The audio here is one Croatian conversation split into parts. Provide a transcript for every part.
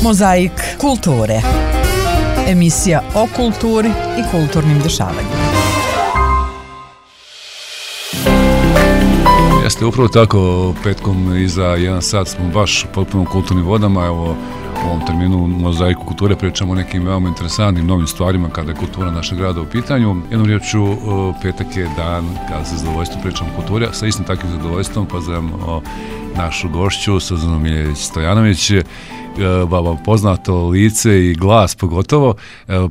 Mozaik kulture. Emisija o kulturi i kulturnim dešavanjima. Jeste, upravo tako, petkom iza 1 sat smo baš potpuno kulturnim vodama. Evo, u ovom terminu u Mozaiku kulture pričamo o nekim veoma interesantnim novim stvarima kada je kultura našeg grada u pitanju. Jednom riječu, petak je dan kada se zadovoljstvom pričamo o kulturi, a sa istim takvim zadovoljstvom pozdravljamo našu gošću Suzanu Miljanić-Stojanović, vama poznato lice i glas pogotovo.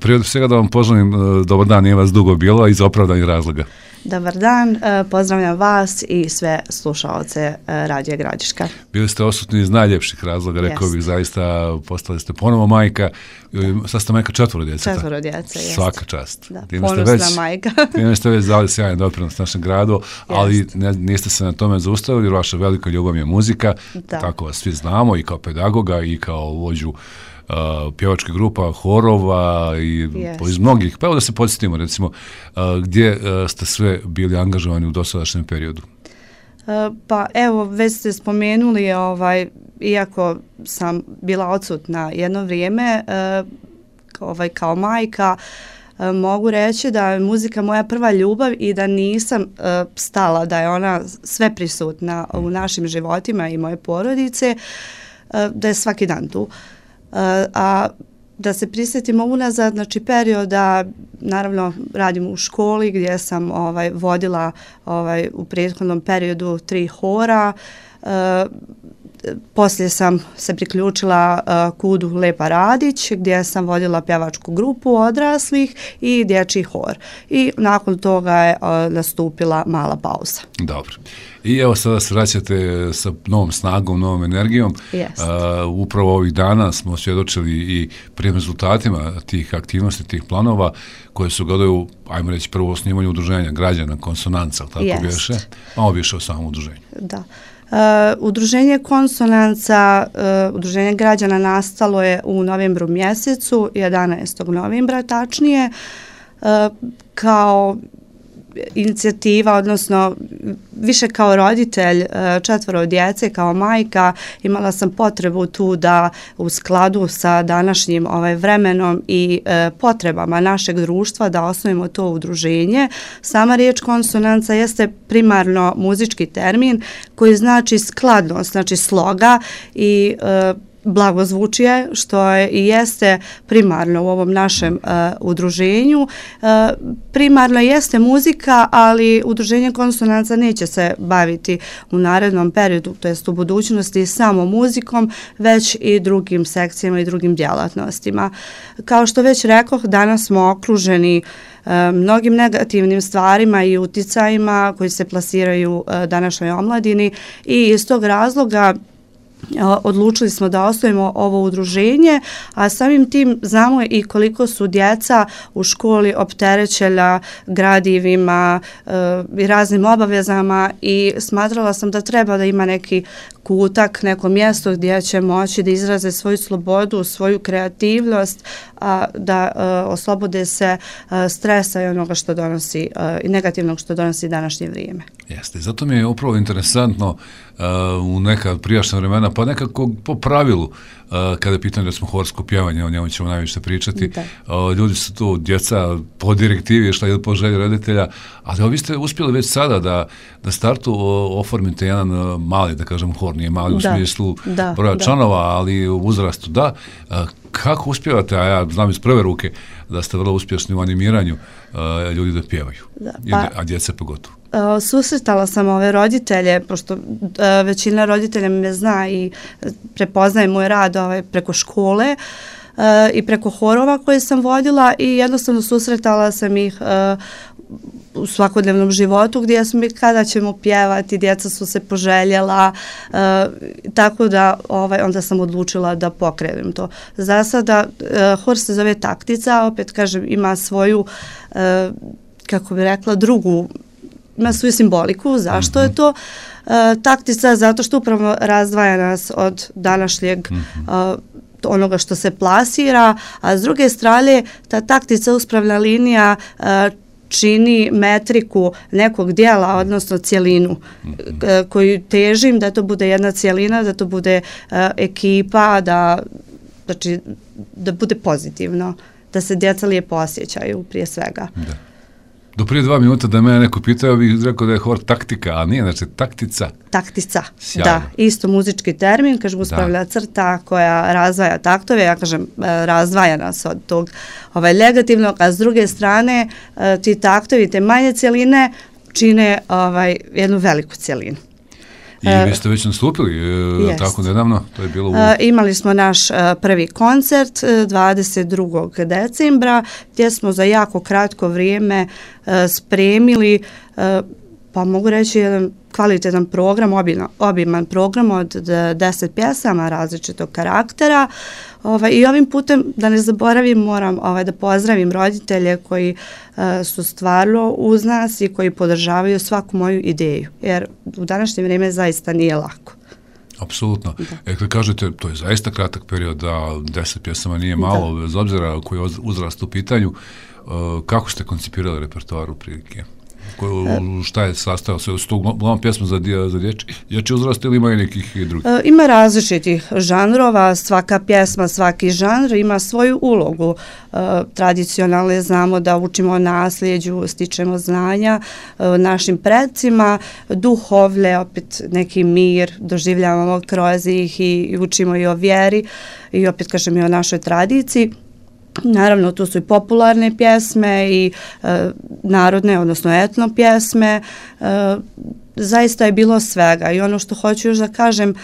Prije svega da vam poželim dobar dan, nije vas dugo bilo iz opravdanih razloga. Dobar dan, pozdravljam vas i sve slušaoce Radija Gradiška. Bili ste odsutni iz najljepših razloga, rekao bih, zaista postali ste ponovo majka, sad ste majka 4 djece. 4 djece, jeste. Svaka čast. Da, ponosna majka. Time ste već dali sjajan doprinos našem gradu, ali niste se na tome zaustavili, jer vaša velika ljubav je muzika, tako vas svi znamo, i kao pedagoga i kao vođu pjevačkih grupa, horova i iz mnogih. Pa evo da se podsjetimo, recimo, gdje ste sve bili angažovani u dosadašnjem periodu? Pa evo, već ste spomenuli, iako sam bila odsutna jedno vrijeme, kao majka, mogu reći da je muzika moja prva ljubav i da nisam stala, da je ona sve prisutna u našim životima i moje porodice, da je svaki dan tu. A da se prisjetimo unazad, znači perioda, naravno radim u školi gdje sam vodila u prethodnom periodu 3 hora, poslije sam se priključila KUD-u Lepa Radić gdje sam vodila pjevačku grupu odraslih i dječji hor. I nakon toga je nastupila mala pauza. Dobro. I evo sada se vraćate sa novom snagom, novom energijom. Upravo ovih dana smo svjedočili i prvim rezultatima tih aktivnosti, tih planova koje su gledaju, ajmo reći, prvo osnivanju udruženja građana, Konsonanca, tako biše. Malo više o samom udruženju. Da. Udruženje Konsonanca, udruženje građana nastalo je u novembru mjesecu, 11. novembra tačnije, kao inicijativa, odnosno više kao roditelj 4 djece, kao majka, imala sam potrebu tu da u skladu sa današnjim vremenom i potrebama našeg društva da osnovimo to udruženje. Sama riječ konsonanca jeste primarno muzički termin koji znači skladnost, znači sloga i blagozvučje, što je i jeste primarno u ovom našem udruženju. Primarno jeste muzika, ali udruženje Konsonanca neće se baviti u narednom periodu, to jest u budućnosti, samo muzikom, već i drugim sekcijama i drugim djelatnostima. Kao što već rekoh, danas smo okruženi mnogim negativnim stvarima i uticajima koji se plasiraju današnjoj omladini i iz tog razloga odlučili smo da osnovimo ovo udruženje, a samim tim znamo i koliko su djeca u školi opterećena gradivima i raznim obavezama i smatrala sam da treba da ima neki kutak, neko mjesto gdje će moći da izraze svoju slobodu, svoju kreativnost, da oslobode se stresa i onoga što donosi i negativnog što donosi današnje vrijeme. Jeste, zato mi je upravo interesantno u neka prijašnja vremena, pa nekako po pravilu, kada je pitanje recimo horsko pjevanje, o njemu ćemo najviše pričati, ljudi su tu, djeca po direktivi išla ili po želji roditelja, ali vi ste uspjeli već sada da startu oformite jedan mali, da kažem, hor, nije mali u smislu broja članova, ali u uzrastu da. Kako uspijevate, a ja znam iz prve ruke da ste vrlo uspješni u animiranju ljudi da pjevaju, a djece pogotovo? Susretala sam ove roditelje, pošto većina roditelja me zna i prepoznaje moj rad preko škole i preko horova koje sam vodila i jednostavno susretala sam ih u svakodnevnom životu gdje sam kada ćemo pjevati, djeca su se poželjela, tako da onda sam odlučila da pokrenem to. Za sada hor se zove Taktica, opet kažem ima svoju, kako bi rekla, drugu, ima svoju simboliku. Zašto je to Taktica? Zato što upravo razdvaja nas od današnjeg onoga što se plasira, a s druge strane ta taktica, uspravna linija čini metriku nekog dijela, odnosno cjelinu koju težim da to bude jedna cjelina, da to bude ekipa, da znači da bude pozitivno, da se djeca lijepo osjećaju prije svega. Da. Do prije 2 minuta da mene neko pitao, bih rekao da je hor taktika, a nije, znači taktica. Taktica, Sjajno. da, isto muzički termin, kažem uspravlja crta koja razdvaja taktove, ja kažem razdvaja nas od tog negativnog, a s druge strane ti taktovi, te manje cjeline čine jednu veliku cjelinu. I vi ste već nastupili, tako nedavno, to je bilo imali smo naš prvi koncert 22. decembra, gdje smo za jako kratko vrijeme spremili, pa mogu reći jedan kvalitetan program, obiman program od 10 pjesama različitog karaktera. I ovim putem, da ne zaboravim, moram da pozdravim roditelje koji su stvarno uz nas i koji podržavaju svaku moju ideju, jer u današnje vrijeme zaista nije lako. Apsolutno. Kad kažete, to je zaista kratak period, da 10 pjesama nije malo, bez obzira koji je uzrast u pitanju, kako ste koncipirali repertoar u prilike? Šta je sastojao se? Su to uglavnom pjesma za dječji uzrast ili ima i nekih drugih? Ima različitih žanrova, svaka pjesma, svaki žanr ima svoju ulogu. Tradicionalno znamo da učimo nasljeđu, stičemo znanja našim predsima, duhovlje, opet neki mir, doživljavamo kroz ih i učimo i o vjeri i opet kažem i o našoj tradiciji. Naravno, tu su i popularne pjesme i narodne, odnosno etno pjesme. Zaista je bilo svega i ono što hoću još da kažem,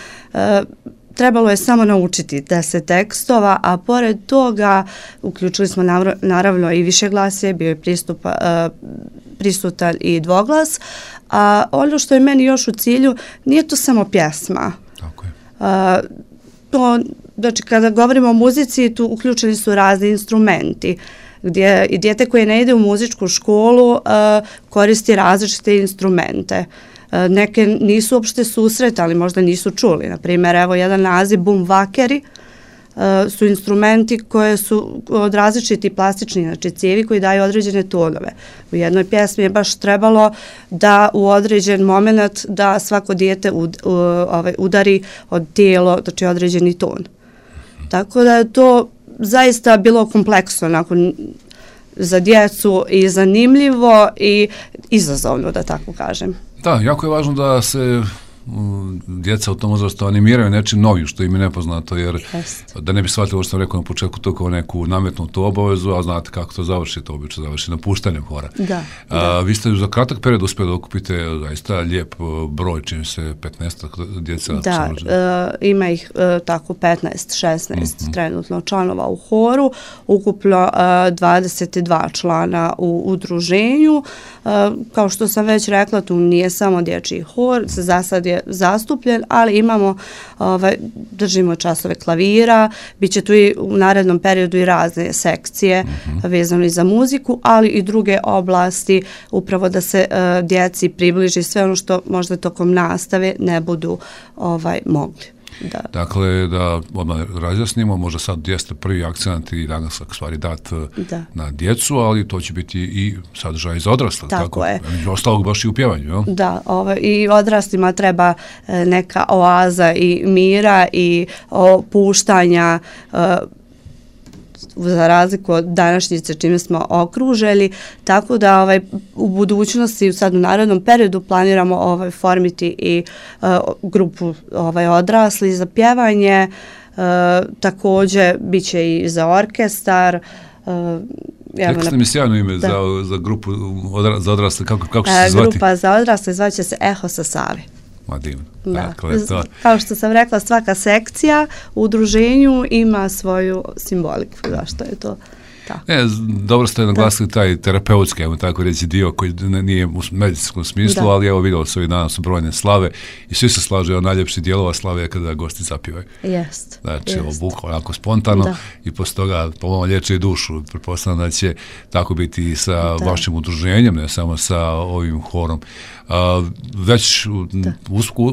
trebalo je samo naučiti 10 tekstova, a pored toga uključili smo naravno i višeglasje, bio je prisutan i dvoglas. A ono što je meni još u cilju, nije to samo pjesma. Tako je. Znači, kada govorimo o muzici, tu uključeni su razni instrumenti, gdje i dijete koje ne ide u muzičku školu koristi različite instrumente. Neke nisu uopšte susretali, možda nisu čuli. Naprimjer, evo jedan naziv bumvakeri su instrumenti koje su od različiti plastični, znači cijevi koji daju određene tonove. U jednoj pjesmi je baš trebalo da u određen moment da svako dijete udari od tijelo, znači određeni ton. Tako da je to zaista bilo kompleksno nakon za djecu i zanimljivo i izazovno, da tako kažem. Da, jako je važno da se djeca u tom uzrastu animiraju nečim novim što im je nepoznato, jer da ne bi shvatili ovo što sam rekao na početku, to kao neku nametnutu obavezu, a znate kako to završi, to obično završi napuštanjem hora. Vi ste za kratak period uspjeli da okupite zaista lijep broj, čini se 15 djeca. Da, ima ih tako 15-16 trenutno članova u horu, ukupno 22 člana u udruženju. Kao što sam već rekla, tu nije samo dječji hor, za sad je zastupljen, ali imamo, držimo časove klavira, bit će tu i u narednom periodu i razne sekcije vezano i za muziku, ali i druge oblasti, upravo da se djeci približi sve ono što možda tokom nastave ne budu mogli. Da. Dakle, da odmah razjasnimo, možda sad jeste prvi akcent i danas stvari dat na djecu, ali to će biti i sadržaj za odrasle. Tako je. Ostalog baš i u pjevanju, jel? Da, i odraslima treba neka oaza i mira i opuštanja, za razliku od današnjice čime smo okružili, tako da u budućnosti, sad u narednom periodu planiramo formiti i grupu odrasli za pjevanje, također bit će i za orkestar. Rekli ste mi sjajno ime za grupu za odrasle, kako će se zvati? Grupa za odrasle zvat će se Eho sa Save. Divno. Dakle, kao što sam rekla, svaka sekcija u udruženju ima svoju simboliku. Zašto je to tako? Dobro ste naglasili taj terapeutski, tako reći, dio koji nije u medicinskom smislu, ali evo vidjeli su i danas su brojne slave i svi se slažu od najljepših dijelova slave kada gosti zapivaju. Znači, bukvalno onako spontano i posle toga pomalo liječe i dušu. Pretpostavljam da će tako biti i sa vašim udruženjem, ne samo sa ovim horom. Već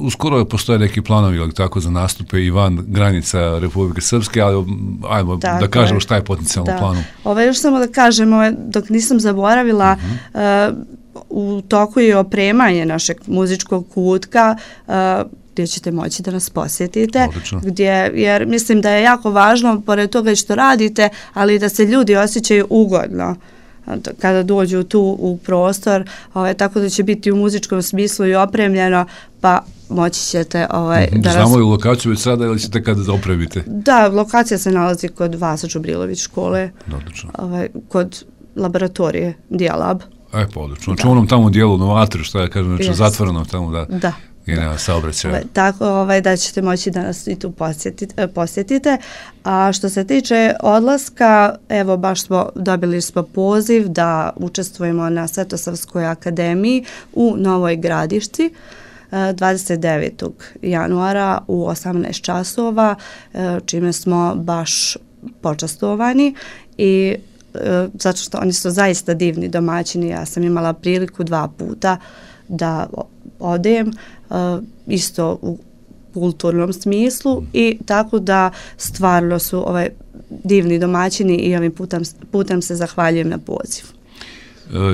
uskoro postoje neki planovi, ali tako, za nastupe i van granica Republike Srpske, ali ajmo da kažemo šta je potencijalno planu. Još samo da kažem, dok nisam zaboravila, u toku je opremanje našeg muzičkog kutka, gdje ćete moći da nas posjetite. Odlično. Jer mislim da je jako važno, pored toga što radite, ali da se ljudi osjećaju ugodno kada dođu tu u prostor, tako da će biti u muzičkom smislu i opremljeno, pa moći ćete da... Znamo i lokaciju već sada ili ćete kada opremite? Da, lokacija se nalazi kod Vasa Đubrilović škole, kod laboratorije Dijalab. Pa odlično. Znači u onom tamo dijelu Novator, što ja kažem, znači zatvoreno tamo da je nema saobraćaja. Tako da ćete moći da nas i tu posjetite. A što se tiče odlaska, evo baš dobili smo poziv da učestvujemo na Svetosavskoj akademiji u Novoj Gradišci 29. januara u 18 časova, čime smo baš počastovani i zato što oni su zaista divni domaćini. Ja sam imala priliku 2 puta da odem, isto u kulturnom smislu, i tako da stvarno su divni domaćini i ovim putem se zahvaljujem na pozivu.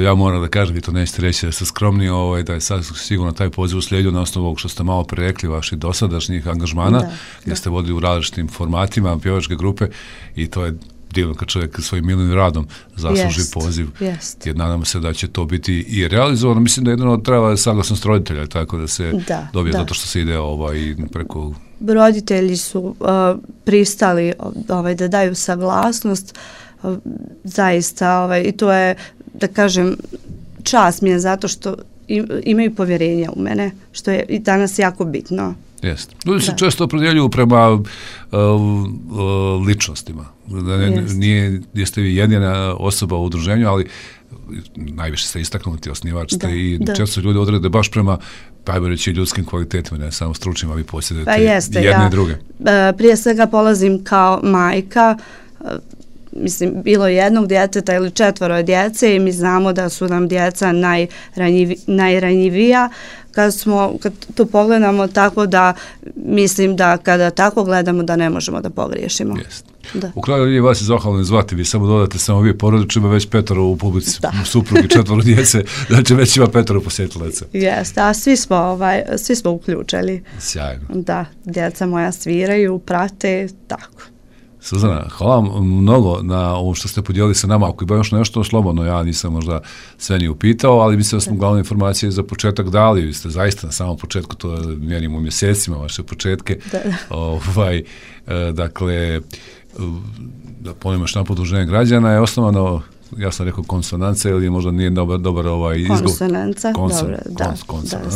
Ja moram da kažem, vi to nećete reći da ste skromni, da je sad sigurno taj poziv uslijedio na osnovu ovog što ste malo prerekli, vaših dosadašnjih angažmana, gdje ste vodili u različitim formatima pjevačke grupe, i to je divno kad čovjek svojim milim radom zasluži poziv. Jer nadamo se da će to biti i realizovano. Mislim da jedno treba saglasnost roditelja, tako da se dobije, zato što se ide preko... Roditelji su pristali da daju saglasnost, zaista, i to je, da kažem, čast mi je zato što imaju povjerenja u mene, što je i danas jako bitno. Jeste. Ljudi se često opredjeljuju prema ličnostima. Nije, jeste vi jedina osoba u udruženju, ali najviše ste istaknuti, osnivač ste, i često ljudi odrede baš prema, ajmo reći, ljudskim kvalitetima, ne samo stručnim, a vi posjedujete jedne i druge. Prije svega polazim kao majka, mislim, bilo jednog djeteta ili 4 djece, i mi znamo da su nam djeca najranjivija kad to pogledamo, tako da mislim da kada tako gledamo da ne možemo da pogriješimo. U kraju nije vas je zahvalno zvati, vi samo dodate samo vi porodično, ima već 5 u publici, suprugi, 4 djece, znači već ima 5 posjetilaca. Jeste, a svi smo uključili. Sjajno. Da, djeca moja sviraju, prate, tako. Suzana, hvala vam mnogo na ovo što ste podijelili sa nama. Ako ima još nešto slobodno, ja nisam možda sve ni upitao, ali mislim da smo glavne informacije za početak dali. Vi ste zaista na samom početku, to mjerimo u mjesecima, vaše početke. Dakle, da ponovimo još napad Udruženje građana je osnovano, ja sam rekao konsonanca, ili možda nije dobar izgovor. Konsonanca, dobro,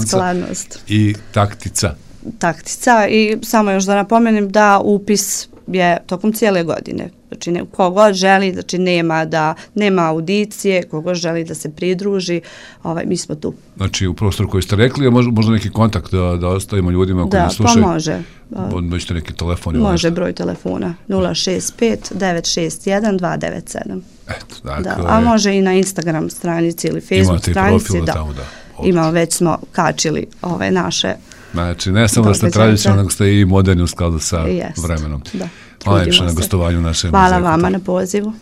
skladnost. I taktica. Taktica, i samo još da napomenem da upis je tokom cijele godine. Znači, kogod želi, znači nema audicije, kogod želi da se pridruži, mi smo tu. Znači, u prostoru koji ste rekli, možda neki kontakt da ostavimo ljudima koji nas slušaju? Da, pa može. Možete neki telefon? Može, broj telefona 065 961 297. Eto, dakle... A može i na Instagram stranici ili Facebook stranici. Imate i profil tamo, da. Imamo, već smo kačili naše... Znači, ne samo da ste tradicionalni, nego ste i moderni u skladu sa vremenom. Da. Hvala najviše na gostovanju naše muzeje. Hvala vama na pozivu.